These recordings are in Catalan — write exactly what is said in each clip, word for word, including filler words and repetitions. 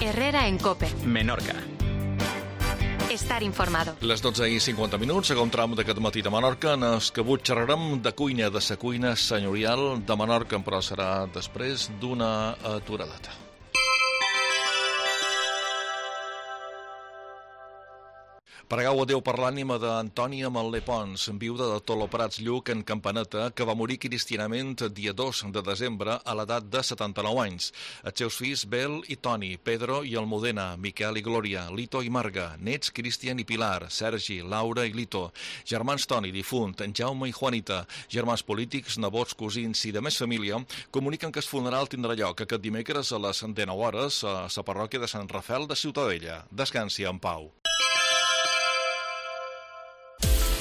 Herrera en COPE. Menorca. Estar informado. Les dotze i cinquanta minuts, segon tram d'aquest matí de Menorca, en el que avui xerrarem de cuina, de la cuina senyorial de Menorca, però serà després d'una aturadeta. Pregau a Déu per l'ànima d'Antònia Manlé Pons, viuda de Toloprats Lluc en Campaneta, que va morir cristianament dia dos de desembre a l'edat de setanta-nou anys. Els seus fills, Bel i Toni, Pedro i Almudena, Miquel i Glòria, Lito i Marga, nets Cristian i Pilar, Sergi, Laura i Lito, germans Toni, difunt, en Jaume i Juanita, germans polítics, nebots, cosins i de més família, comuniquen que el funeral tindrà lloc aquest dimecres a les dinou hores a la parròquia de Sant Rafel de Ciutadella. Descansi en pau.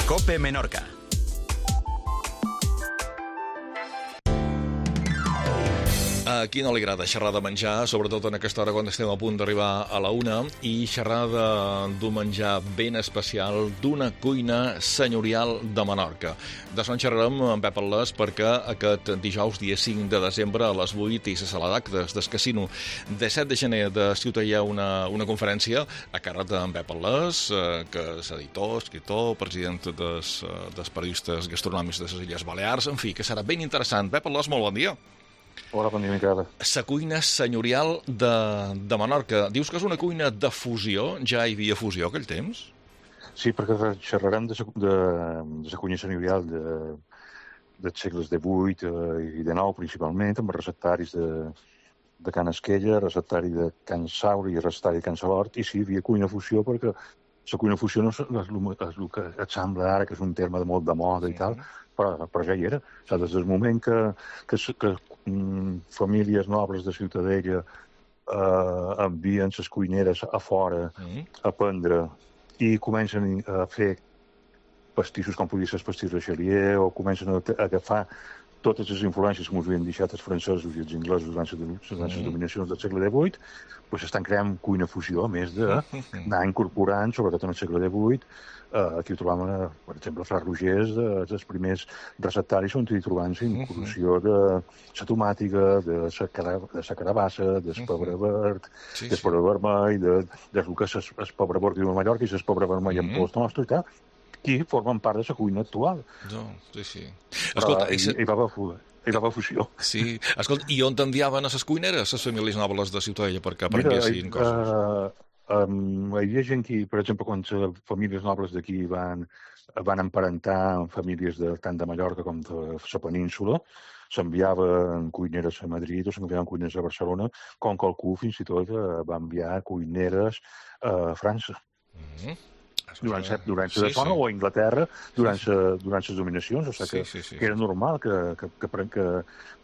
COPE Menorca. A qui no li agrada xerrar de menjar, sobretot en aquesta hora quan estem a punt d'arribar a la una, i xerrar d'un menjar ben especial, d'una cuina senyorial de Menorca. D'això en xerrarem amb Pep Al·les perquè aquest dijous, dia cinc de desembre, a les vuit, i la sala d'actes del Casino. De set de gener de Ciutat hi ha una, una conferència a càrrec d'en Pep Al·les, eh, que és editor, escriptor, president dels, dels periodistes gastronòmics de les Illes Balears, en fi, que serà ben interessant. Pep Al·les, molt bon dia. Hola, bon dia, Miquel. La cuina senyorial de, de Menorca. Dius que és una cuina de fusió? Ja hi havia fusió aquell temps? Sí, perquè xerrarem de la cuina senyorial de, dels segles de vuit i de nou, principalment, amb receptaris de, de Can Esquella, receptari de Can Saura i receptari de Can Salort, i sí, hi havia cuina fusió perquè la cuina fusió no és el que et sembla ara, que és un terme de molt de moda i tal, però, però ja hi era. O sigui, des del moment que, que, que mm, famílies nobles de Ciutadella eh, envien les cuineres a fora mm. a prendre i comencen a fer pastissos com podria ser el pastís Richelieu, o comencen a, a agafar totes les influències que ens havien deixat els francesos i els inglesos durant les, durant les dominacions del segle divuit, doncs estan creant cuina fusió, a més d'anar incorporant, sobretot en el segle divuit, eh, aquí ho trobàvem, per exemple, a Fra Rogers, els primers receptaris on hi trobam la incursió de la tomàtica, de la carabassa, del pebre verd, del pebre vermell, del que és el pebre verd de Mallorca i el pebre vermell en pols nostre i tal, que formen part de la cuina actual. No, sí, sí. Escolta, uh, i, i va haver fusió. Sí. Escolta, i on t'enviaven a les cuineres, les famílies nobles de Ciutadella, perquè aprenguessin coses? Uh, um, hi havia gent que, per exemple, quan les famílies nobles d'aquí van, van emparentar amb famílies de, tant de Mallorca com de la península, s'enviaven cuineres a Madrid o s'enviaven cuineres a Barcelona, com qualcú fins i tot uh, va enviar cuineres a França. Mm-hmm. durant la durant sí, zona sí. o a Anglaterra durant, sí, sí. Sa, durant les dominacions, o sigui que, sí, sí, sí. que era normal que, que, que, que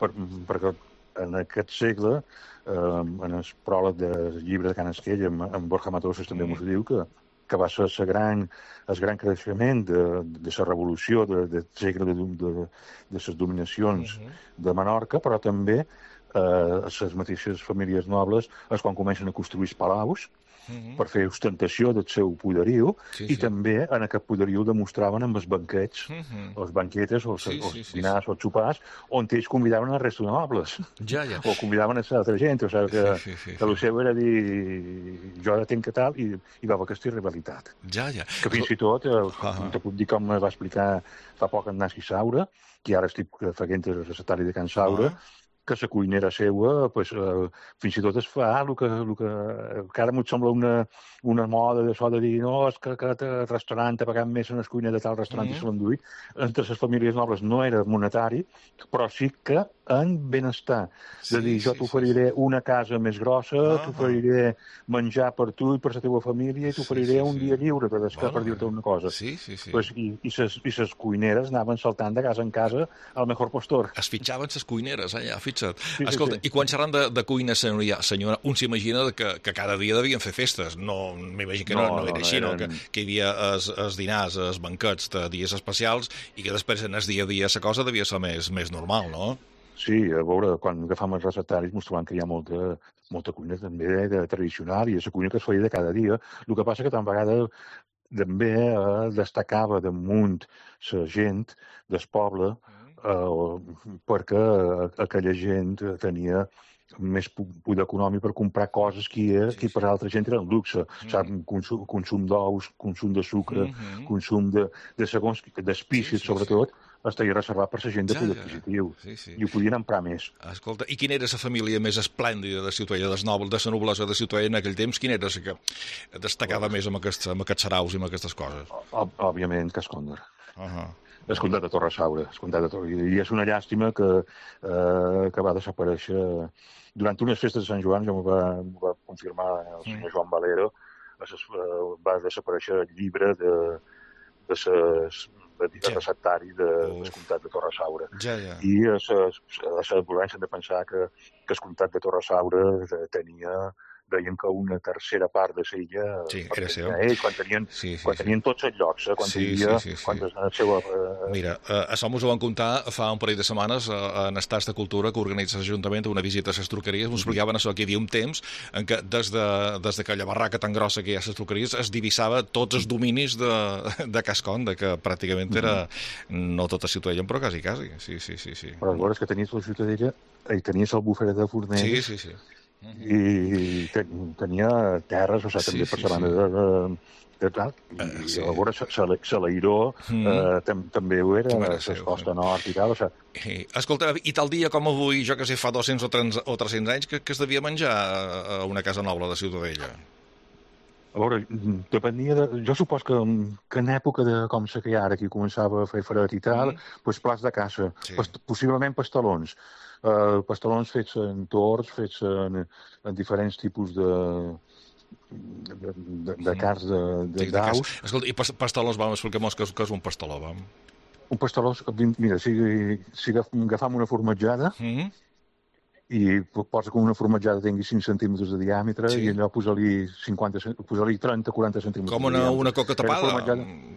per, perquè en aquest segle, eh, en el pròleg del llibre de Can Esquella, amb, amb Borja Matosas també mm. ens diu que, que va ser el gran, el gran creixement de, de la revolució del de, de segle de, de, de les dominacions mm -hmm. de Menorca, però també eh, les mateixes famílies nobles és quan comencen a construir els palaus, Mm-hmm. per fer ostentació del seu poderiu, sí, i sí. també en aquest poderiu demostraven amb els banquets, mm-hmm. els banquetes, o els, sí, els sí, sí, dinars, sí. o els sopars, on ells convidaven a resta de nobles. Ja, ja. O convidaven a l'altra gent, o sigui que, sí, sí, sí, que el seu era dir jo ara tenc que tal, i, i va haver aquesta rivalitat. Ja, ja. Que fins i tot, eh, uh-huh. te puc dir com va explicar fa poc en Nasi Saura, que ara estic fent el receptari de Can Saura, uh-huh. que la cuinera seua, pues, eh, fins i tot es fa el que, el que, que ara m'ho sembla una, una moda d'això de dir no, és que aquest restaurant ha pagat més en el cuiner de tal restaurant mm-hmm. i se l'han duit. Entre les famílies nobles no era monetari, però sí que en benestar. Sí, de dir, jo sí, t'oferiré sí, sí. una casa més grossa, ah, t'oferiré menjar per tu i per la teva família, i t'oferiré sí, sí, un dia sí. lliure per, bueno, per dir-te una cosa. Sí, sí, sí. Pues, I i ses, i ses cuineres anaven saltant de casa en casa al mejor postor. Es fitxaven les cuineres, allà, fixa't. Sí, Escolta, sí, sí. i quan xerran de, de cuina senyora, senyora, un s'imagina que, que cada dia devien fer festes. No, m'imagino que no, no, no era no, així, no, eren... no? Que, que hi havia els, els dinars, els banquets de dies especials, i que després en el dia a dia la cosa devia ser més, més normal, no? Sí, a veure, quan agafam els recetaris ens trobem que hi ha molta, molta cuina també de, de tradicional, i és la cuina que es feia de cada dia. El que passa que tant vegada també eh, destacava damunt la gent del poble uh, perquè aquella gent tenia més poder econòmic per comprar coses que, sí, que per altra gent era un luxe. Mm. Sap, consum, consum d'ous, consum de sucre, mm -hmm. consum de, de segons, d'espícies, sí, sí, sobretot, sí. Estaria reservat per la gent de poder ja, adquisitiu. Ja. Sí, sí. I ho podien emprar més. Escolta, i quina era la família més esplèndida de Ciutadella, de la noblesa de Ciutadella en aquell temps? Quina era la que destacava oh. més amb aquests, amb aquests saraus i amb aquestes coses? Òb Òbviament, Cascòndor. Uh -huh. El comtat de Torre-Saura. I és una llàstima que, eh, que va desaparèixer. Durant unes festes de Sant Joan, ja m'ho va, va confirmar el senyor mm. Joan Valero, va desaparèixer el llibre de, de ses, de, de ja. receptari de, del comtat de Torre-Saura. Ja, ja. I a la volència de pensar que, que el comtat de Torre-Saura tenia, deien que una tercera part de l'illa sí, era seu. Ells, quan tenien, sí, sí, quan tenien sí. tots els llocs, eh? quan sí, havia, sí, sí, sí. quan la seva... Eh... Mira, eh, això mos ho van contar fa un parell de setmanes eh, en Estats de Cultura que organitza l'Ajuntament una visita a les truqueries. Ens explicaven això, que hi havia un temps en què des de, des de aquella barraca tan grossa que hi ha a les truqueries es divisava tots els dominis de, de Casconda, que pràcticament era no tota Ciutadella, però quasi, quasi. Sí, sí, sí, sí. Però aleshores que tenies la Ciutadella i tenies el bufet de Fornells. Sí, sí, sí. I ten, tenia terres, o sigui, també sí, per la banda sí. de, de, de tal, i uh, sí. llavors Salairó mm. eh, tam, també ho era, la costa nord i tal, o sigui... I, escolta, i tal dia com avui, jo que sé, fa dos-cents o tres-cents anys, que, que es devia menjar a una casa noble de Ciutadella? A veure, depenia de... Jo supos que, que en època de com se que ara, que començava a fer fred i tal, mm. doncs plats de caça, sí. Past, possiblement pastelons. Uh, pastelons fets en tords, fets en, en diferents tipus de, de, de, de carns d'aus. Sí, escolta, i pastelons, vam explicar-nos que, que és un pasteló, vam? Un pasteló, mira, si, si agafam una formatjada, mm-hmm. i posa que una formatjada tingui cinc centímetres de diàmetre, sí. I allò posa-li posa-li trenta quaranta centímetres. Com una, una coca tapada?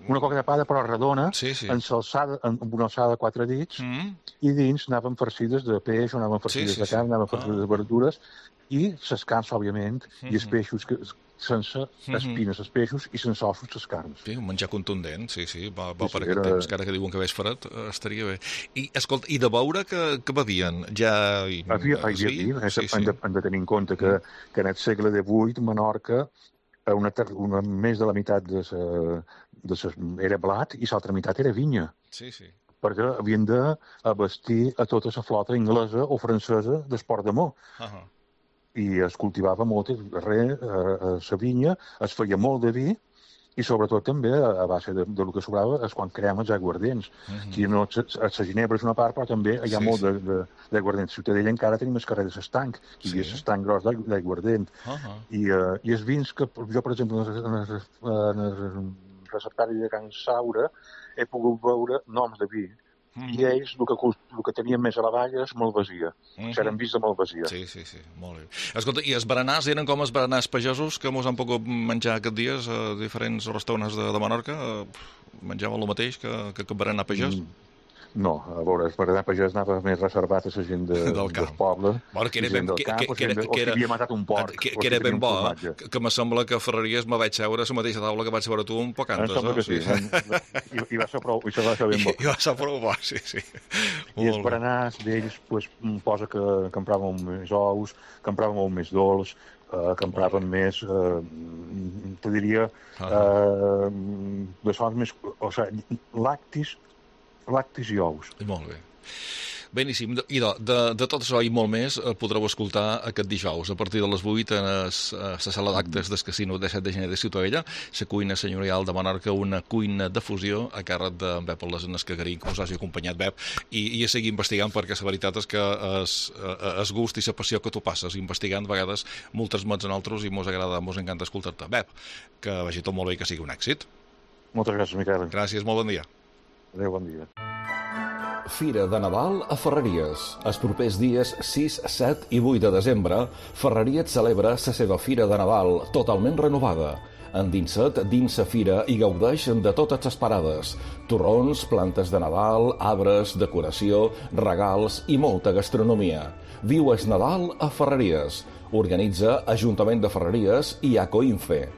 Una coca tapada, però redona, sí, sí. Ensalçada, amb una alçada de quatre dits, mm. I dins anaven farcides de peix, o anaven farcides sí, sí, de carn, anaven farcides ah. de verdures, i les carns, òbviament, mm -hmm. i els peixos que... sense espines els peixos i sense ossos les carns. Sí, un menjar contundent, sí, sí, va, va sí, per sí, aquest era... temps, que ara que diuen que veix fred, estaria bé. I, escolta, i de beure que, que bevien? Ja... Havia, havia sí? dir, sí, sí. Hem, de, hem de tenir en compte que, que en el segle divuit Menorca una, una, més de la meitat de sa, de sa, era blat i l'altra meitat era vinya. Sí, sí. Perquè havien d'abastir a tota la flota inglesa o francesa d'Esport d'Amor. Uh -huh. I es cultivava molt res, a la vinya, es feia molt de vi, i sobretot també, a base de, de lo que sobrava, és quan creem els aiguardents. Mm-hmm. Aquí no, la ginebra és una part, però també hi ha sí, molt sí. d'aiguardents. A Ciutadella encara tenim el carrer de s'estanc, i sí. S'estanc gros d'aiguardent. Uh -huh. I, uh, I els vins que jo, per exemple, en el receptari de Can Saura, he pogut veure noms de vi. Mm. I ells el que, el que tenien més a la valla és Malvasia. Mm -hmm. S'eren vist de Malvasia. Sí, sí, sí, molt bé. Escolta, i els berenars eren com els berenars pagesos que mos han pogut menjar aquests dies a diferents restaurants de, de Menorca? Menjaven el mateix que, que, que berenar pagès? Mm. No, a veure, el berenar pagès anava més reservat a la gent de, del, del poble. Bueno, que era ben, que, camp, que, que, que, o si havia matat un porc. Que, que era ben bo, eh? que, que me sembla que a Ferreries me vaig seure a la mateixa taula que vaig veure tu un poc antes. Em sembla que sí. sí. I, I va ser prou, i va ser ben bo. I, i va ser prou bo, sí, sí. I els berenars d'ells, pues, posa que compràvem més ous, compràvem molt més dolç, Uh, que empraven més, uh, te diria, uh, de sons més... O sigui, lactis, lactis i ous. Molt bé. Beníssim. I de, de, de tot això i molt més podreu escoltar aquest dijous a partir de les vuit a la sala d'actes del Casino de set de gener de Ciutadella, la cuina senyorial de Menorca, una cuina de fusió a càrrec d'en Bep Lesenes Cagarín, que us hagi acompanyat, Bep, i, i a seguir investigant, perquè la veritat és que es, es gust i la passió que tu passes investigant, a vegades molt transmets en altres i mos agrada, mos encanta escoltar-te. Bep, que vagi tot molt bé i que sigui un èxit. Moltes gràcies, Miquel. Gràcies, molt bon dia. Adéu, bon dia. Fira de Nadal a Ferreries. Els propers dies sis, set i vuit de desembre, Ferreries celebra la seva Fira de Nadal totalment renovada. Endinsa't dins la fira i gaudeix de totes les parades. Torrons, plantes de Nadal, arbres, decoració, regals i molta gastronomia. Viu el Nadal a Ferreries. Organitza Ajuntament de Ferreries i Acoinfe.